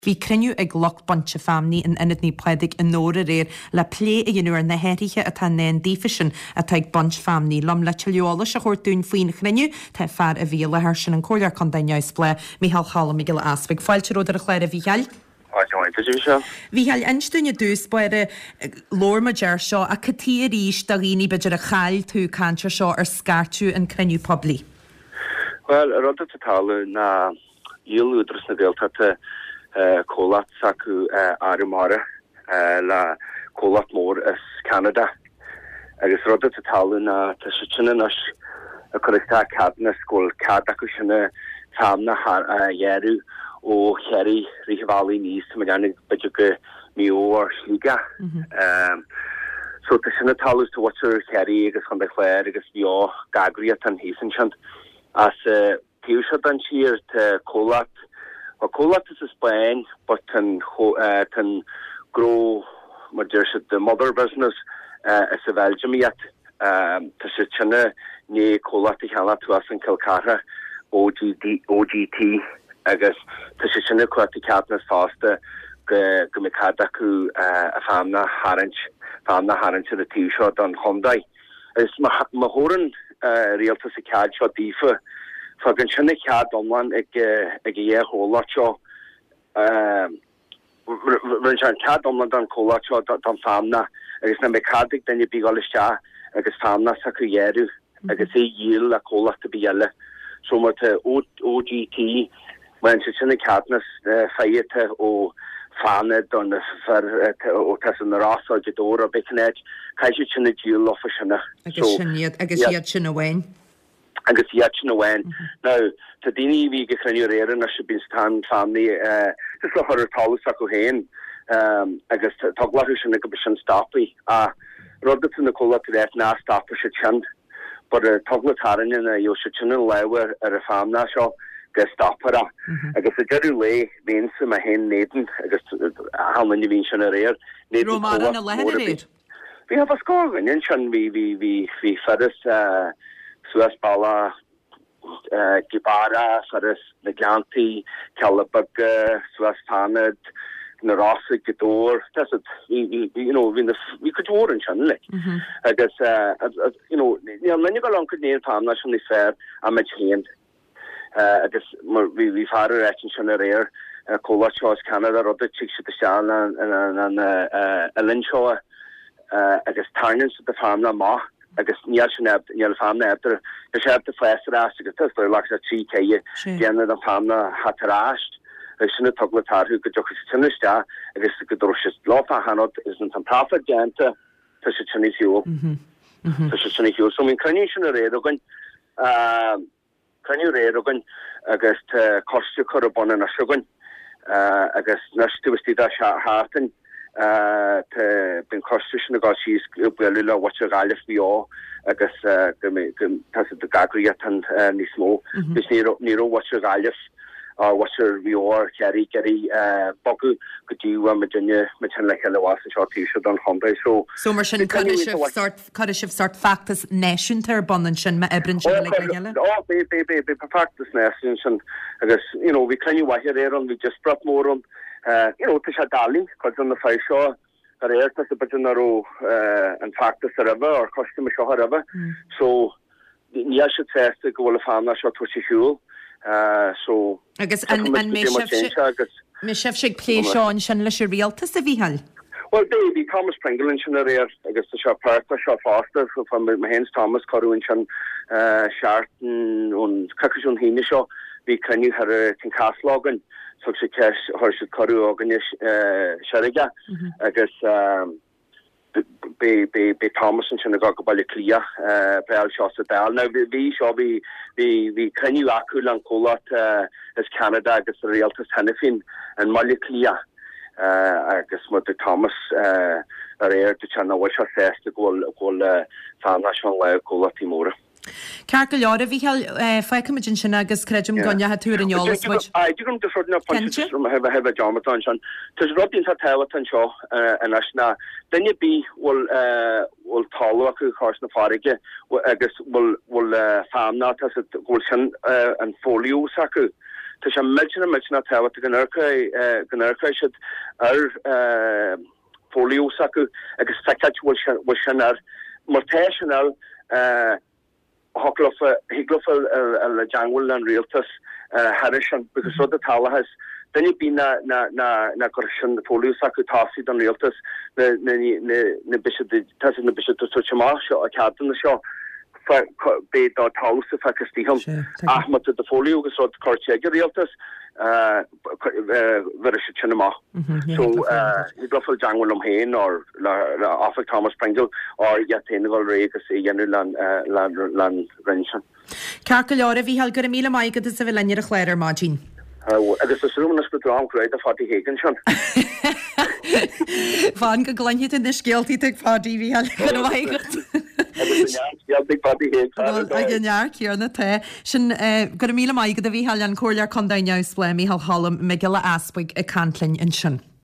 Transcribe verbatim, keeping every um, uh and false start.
Bhí cruinniú ag lucht bainte feamnaí in Ionad Naomh Pádraig i nDobhar aréir le plé a dhéanamh ar na hathruithe atá i ndán daofa sin atá ag baint feamnaí. Liom le tuilleadh eolais a thabhairt dúinn faoin chruinniú tá fear a bhí i láthair sin an Comhairleoir Contae Neamhspleách Micheál Cholm Mac Giolla Easpaig. Fáilte romhat ar an chlár a Mhícheáil. Mhícheáil inis dúinn i dtús báire labhair muid air seo ach cad chuige arís do dhaoine b'fhéidir a chaill tú caint ar seo ar scairteadh an cruinniú poiblí. Well an rud atá ag tarlú ná dhíol Údarás na Gaeltachta comhlacht s'acu Arramara le comhlacht mór as Ceanada agus rud atá ag tarlú ná tá siad sin anois ag cur isteach ceadúnas go bhfuil cead acu sin feamnach a ghearradh ó Chiarraí rith an bhealaigh aníos tá mé ag déanamh b'fhéidir go Maigh Eo or Sligeach. So tá sin ag tarlú tá muintir Chiarraí agus Chontae Chláir agus Mhaigh Eo gach eagraíocht thíos ansin as taobh seo den tír tá comhlacht bhuel comhlacht as an Spáinn but tá an tá an gnó mar deir siad the mother business as an Bheilgium iad. Tá siad sin i ndiaidh comhlacht a cheannach thuas in Cill Chartha OGD OGT agus tá siad sin ag cuartú ceadúnas fosta go go mbeidh cead acu a feamnach a tharraingt feamnach a tharraingt ar an taobh seo den chontae. Agus má má thabharann rialtas an cead seo daofa, fágann sin an cead iomlán ag ag an dhá chomhlacht seo, bhronn sé an cead iomlán don chomhlacht seo don feamnach agus nach mbeidh cead ag duine ar bith dhul isteach agus feamnach s'acu a ghearradh agus é a dhíol le comhlacht ar bith eile. So má tá OGT, má fhaigheann siad sin an ceadúnas faighte ó Fánaid do na fir ó tá san na Rosa Gaoth Dobhair ar bith cén áit, caithfidh siad sin a díol leofa sin. Agus sin iad, agus iad sin amháin. Agus iad sin amháin. Now, tá daoine a bhí ag an chruinniú aréir anois a bíonn ag tarraingt feamnaí just le chur ar talamh s'acu féin agus tá eagla orthu sin go mbeidh sin stoptha. Ach rud atá na comhlachtaí ag ráit ná stopfaidh siad sin. But an t-eagla atá orainne ná gheobhaidh siad sin an lámh ar an feamnach seo go stopfar é. Agus ag deireadh lae, bheinnse mé féin in éadan agus achan duine a bhí ansin aréir, in éadan Raibh mórán i comhlacht láthair mór ar aréir? bith. Bhí bhí scór dhuine ansin, bhí bhí bhí bhí fir as suas bealach Gaoth Beara, fir as na Gleanntaí, Cealla Beaga, suas Fánaid, na Rosa, Gaoth Dobhair, that's it, bhí bhí bhí you know bhí na bhí cuid mhór ansin like. Agus you know níl aon duine ag dul ann go dtí an feamnach sin níos fearr ná muid féin. Agus mar bhí bhí fear ag ráit ansin aréir, comhlacht seo as Ceanada rud a tig siad isteach in an oileán seo agus tarraingíonn siad an feamnach amach agus níl sin níl feamnach ábalta níl sé ábalta fás ar ais agus tá ghlac sé trí ceithre déanamh an feamnach theacht ar ais agus sin an t-eagla atá orthu go dtiocfaidh siad sin isteach agus go dtabharfaidh siad leofa achan rud agus an taifead déanta tá siad sin ar shiúl. Tá siad sin ar shiúl. So bhí an cruinniú sin aréir againn. Cruinniú aréir againn agus tá coiste curtha ar bun anois againn agus anois taobh istigh de sheachtain tá beidh an coiste sin ag dul síos ag bualadh le muintir Ghaillimh Mhaigh Eo agus go mbeidh go tá siad ag eagraíocht níos mó agus ní raibh ní raibh muintir Ghaillimh or muintir Mhaigh Eo or Chiarraí ag iarraidh bogadh go dtí bhfuil muidinne muid féin le chéile abhus anseo taobh seo den chontae so So mar sin bhí cruinniú cuirfidh iontach sibh mhaith. sort Cuirfidh sibh sort feachtas náisiúnta ar bun ansin má oibreann sibh Ó uilig le chéile? Ó beidh beidh beidh beidh feachtas náisiúnta ansin agus you know bhí cruinniú mhaith aréir ann bhí díospóireacht mór ann you know tá sé doiligh cuid de na fir seo aréir tá sé b'fhéidir nach raibh an feachtas roimhe or coiste mar seo roimhe so níl siad sásta go bhfuil an feamnach seo tabhairt ar shiúl so Agus an an mbeidh sibhse mbeidh sibhse ag plé seo ansin leis an rialtas a Mhícheáil? Bhuel beidh, bhí Thomas Pringle ansin aréir agus tá sé páirteach seo fosta, fá mé féin 's Thomas cuireadh ansin seachtain ón coicís ón hAoine seo, bhí cruinniú thoir i Tynecastle againn, thug siad ceist, chuir siad cuireadh againne Seirge agus beidh, beidh, beidh Thomas ansin ag dul go Baile Átha Cliath, pléáil seo sa Dáil. Now bhí seo, bhí, bhí, bhí cruinniú acu le an comhlacht as Ceanada agus an rialtas cheana féin i mBaile Átha Cliath. agus mar dúirt Thomas aréir dúirt sé nach bhfuil sé sásta go bhfuil go bhfuil feamnach seo i lámha comhlachtaí móra. Ceart go leor, a Mhícheáil, fágfaimid ansin agus creidim go ndeachaigh tú ar an eolas muid. Aye, dtig liom just rud na pointe Cinnte. just a bheith a dearmad ansin. Tá rud iontach tábhachtach anseo anois ná duine ar bith bhfuil bhfuil talamh acu cois na farraige agus bhfuil bhfuil feamnach tá go bhfuil sin an folio s'acu. Tá sé millteanach millteanach tábhachtach go n-amharcfaidh go n-amharcfaidh siad ar folio s'acu agus feiceáil bhfuil bhfuil sin air. Mar tá sin air thig leofa thig leofa dul i dteangmháil le an rialtas thairis sin because rud atá tarlaithe is duine ar bith ná ná ná ná cuirfidh sin folio s'acu tosaigh don rialtas na na na na beidh siad tá siad na beidh siad ag tabhairt amach seo a ceadanna seo beidh do talamh sa feiceas díom ach má tá do folio agus rud curtha ag an rialtas bheir siad sin amach. So thig leofa dul i dteangmháil liom féin or le le Oifig Thomas Pringle or iad féin a dhul réidh agus é dhéanamh le le an roinn sin. Ceart go leor a Mhícheáil, go raibh míle maith agat as a bheith linn ar an chlár ar maidin. Agus is rún go drom go raibh Pháidí Hagan sin. Fan go gcluinfidh tú na scéaltaí ag Pháidí Mhícheáil go raibh maith agat. Ag an neart céanna tá sin go raibh míle maith agat a Mhícheáil an Comhairleoir Contae Neamhspleách Mícheál Cholm Mac Giolla Easbuig ag caint linn ansin.